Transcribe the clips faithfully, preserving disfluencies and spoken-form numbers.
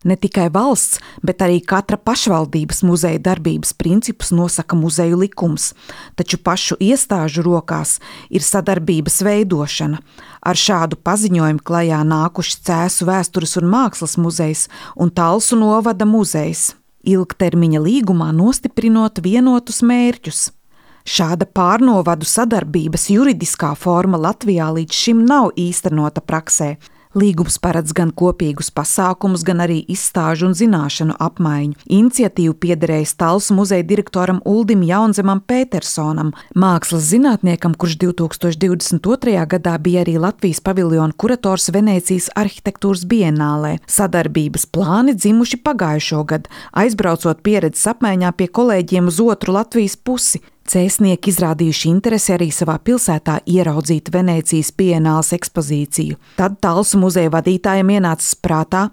Ne tikai valsts, bet arī katra pašvaldības muzeja darbības principus nosaka muzeju likums, taču pašu iestāžu rokās ir sadarbības veidošana. Ar šādu paziņojumu klajā nākuši Cēsu vēstures un mākslas muzejs un Talsu novada muzejs, ilgtermiņa līgumā nostiprinot vienotus mērķus. Šāda pārnovadu sadarbības juridiskā forma Latvijā līdz šim nav īstenota praksē. Līgums paredz gan kopīgus pasākumus, gan arī izstāžu un zināšanu apmaiņu. Iniciatīvu piederējis Talsu muzeja direktoram Uldim Jaunzemam Pētersonam, mākslas zinātniekam, kurš divi tūkstoši divdesmit otrajā gadā bija arī Latvijas paviljona kurators Venēcijas arhitektūras bienālē. Sadarbības plāni dzimuši pagājušo gadu, aizbraucot pieredzes apmaiņā pie kolēģiem uz otru Latvijas pusi. Cēsnieki izrādījuši interesi arī savā pilsētā ieraudzīt Venēcijas bienāles ekspozīciju. Tad Talsu muzeja vadītājiem ienācis prātā,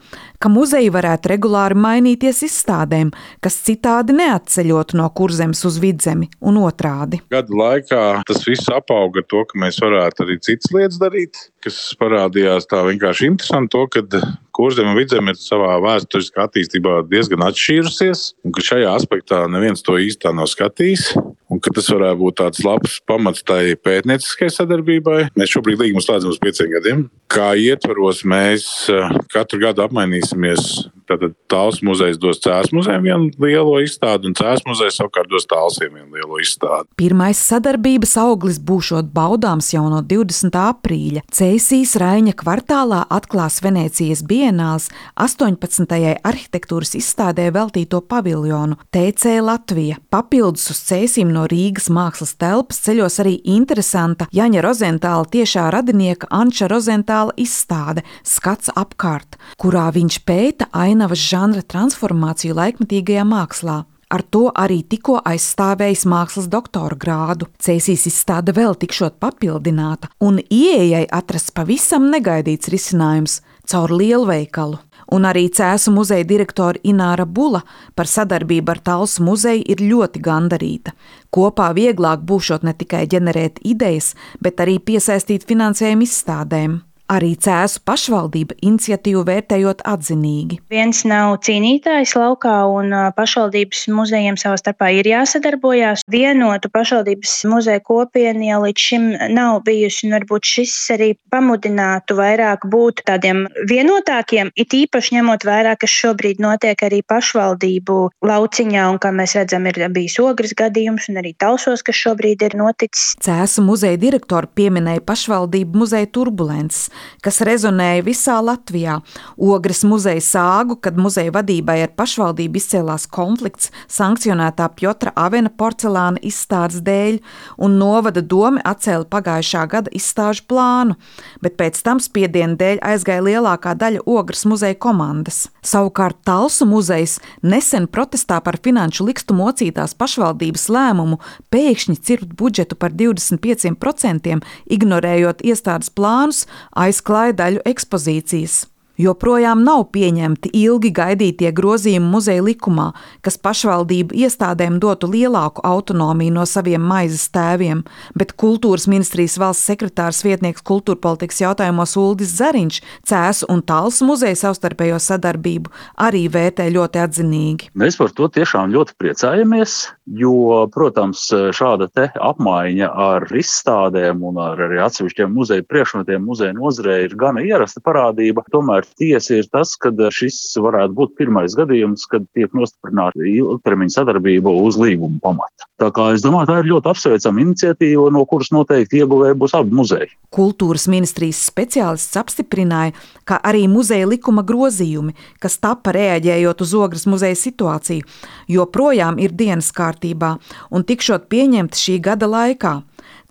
ka muzeji varētu regulāri mainīties izstādēm, kas citādi neatceļotu no Kurzemes uz Vidzemi un otrādi. Gadu laikā tas viss apauga ar to, ka mēs varētu arī citas lietas darīt, kas parādījās tā vienkārši interesanti to, ka Kurzeme un Vidzeme ir savā vēsturiskā attīstībā diezgan atšķīrusies, un ka šajā aspektā neviens to īstā nav skatījis, un ka tas varētu būt tāds labs pamats tai pētnieciskai sadarbībai. Mēs šobrīd līgumu slēdzam uz pieciem gadiem. Kā ietvaros mēs katru gadu apmainīsimies. Tātad Talsu muzejs dos Cēsu muzejam vienu lielo izstādi, un Cēsu muzejs savukārt dos Talsiem vienu lielo izstādi. Pirmais sadarbības auglis būšot baudāms jau no divdesmitā aprīļa. Cēsīs Raiņa kvartālā atklās Venēcijas bienāles astoņpadsmitajai arhitektūras izstādē veltīto paviljonu T C Latvija. Papildus uz Cēsīm no Rīgas mākslas telpas ceļos arī interesanta Jaņa Rozentāla tiešā radinieka Anča Rozentāla izstāde Skats apkārt, kurā viņš pēta ainavas žanra transformāciju laikmetīgajā mākslā. Ar to arī tikko aizstāvējis mākslas doktora grādu. Cēsīs izstāde vēl tikšot papildināta, un ieejai atrasts pavisam negaidīts risinājums caur lielveikalu. Un arī Cēsu muzeja direktora Ināra Bula par sadarbību ar Talsu muzeju ir ļoti gandarīta. Kopā vieglāk būšot ne tikai ģenerēt idejas, bet arī piesaistīt finansējumu izstādēm. Arī Cēsu pašvaldība iniciatīvu vērtējot atzinīgi. Viens nav cīnītājs laukā, un pašvaldības muzejiem savā starpā ir jāsadarbojās. Vienotu pašvaldības muzeja kopienu jau līdz šim nav bijusi, un varbūt šis arī pamudinātu vairāk būt tādiem vienotākiem, it īpaši ņemot vērā, kas šobrīd notiek arī pašvaldību lauciņā, un kā mēs redzam, ir bijis Ogres gadījums, un arī Talsos, kas šobrīd ir noticis. Cēsu muzeja direktori pieminēja pašvaldību muzeja turbulences, kas rezonēja visā Latvijā. Ogres muzeja sāgu, kad muzeja vadībai ar pašvaldību izcēlās konflikts sankcionētā Pjotra Avena porcelāna izstādes dēļ, un novada doma atcēla pagājušā gada izstāžu plānu, bet pēc tam spiediena dēļ aizgāja lielākā daļa Ogres muzeja komandas. Savukārt Talsu muzejs nesen protestā par finanšu likstu mocītās pašvaldības lēmumu pēkšņi cirpt budžetu par divdesmit pieciem procentiem, ignorējot iestādes plānus, aizklāja daļu ekspozīcijas. Joprojām nav pieņemti ilgi gaidītie grozījumi muzeja likumā, kas pašvaldību iestādēm dotu lielāku autonomiju no saviem maizes tēviem, bet kultūras ministrijas valsts sekretārs vietnieks kultūrpolitikas jautājumos Uldis Zariņš Cēsu un Talsu muzeja savstarpējo sadarbību arī vērtē ļoti atzinīgi. Mēs par to tiešām ļoti priecājamies, jo, protams, šāda te apmaiņa ar izstādēm un ar arī atsevišķiem muzeja priekšmetiem muzeja nozarē ir gana ierasta parādība. Tomēr tiesa ir tas, ka šis varētu būt pirmais gadījums, kad tiek nostiprināta ilgtermiņa sadarbība uz līguma pamata. Tā kā es domāju, tā ir ļoti apsveicama iniciatīva, no kuras noteikti ieguvēji būs abi muzeji. Kultūras ministrijas speciālists apstiprināja, ka arī muzeja likuma grozījumi, kas tapa reaģējot uz Ogres muzeja situāciju, joprojām ir dienas kārtībā un tikšot pieņemti šī gada laikā.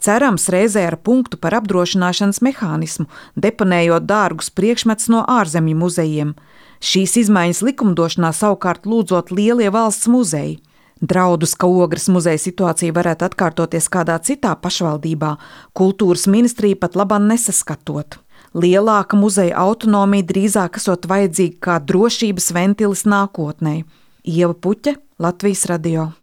Cerams reizē ar punktu par apdrošināšanas mehānismu, deponējot dārgus priekšmetus no ārzemju muzejiem. Šīs izmaiņas likumdošanā savukārt lūdzot lielie valsts muzeji. Draudus, ka Ogres muzeja situācija varētu atkārtoties kādā citā pašvaldībā, kultūras ministrija pat labam nesaskatot. Lielāka muzeja autonomija drīzāk esot vajadzīga kā drošības ventilis nākotnē. Ieva Puķe, Latvijas radio.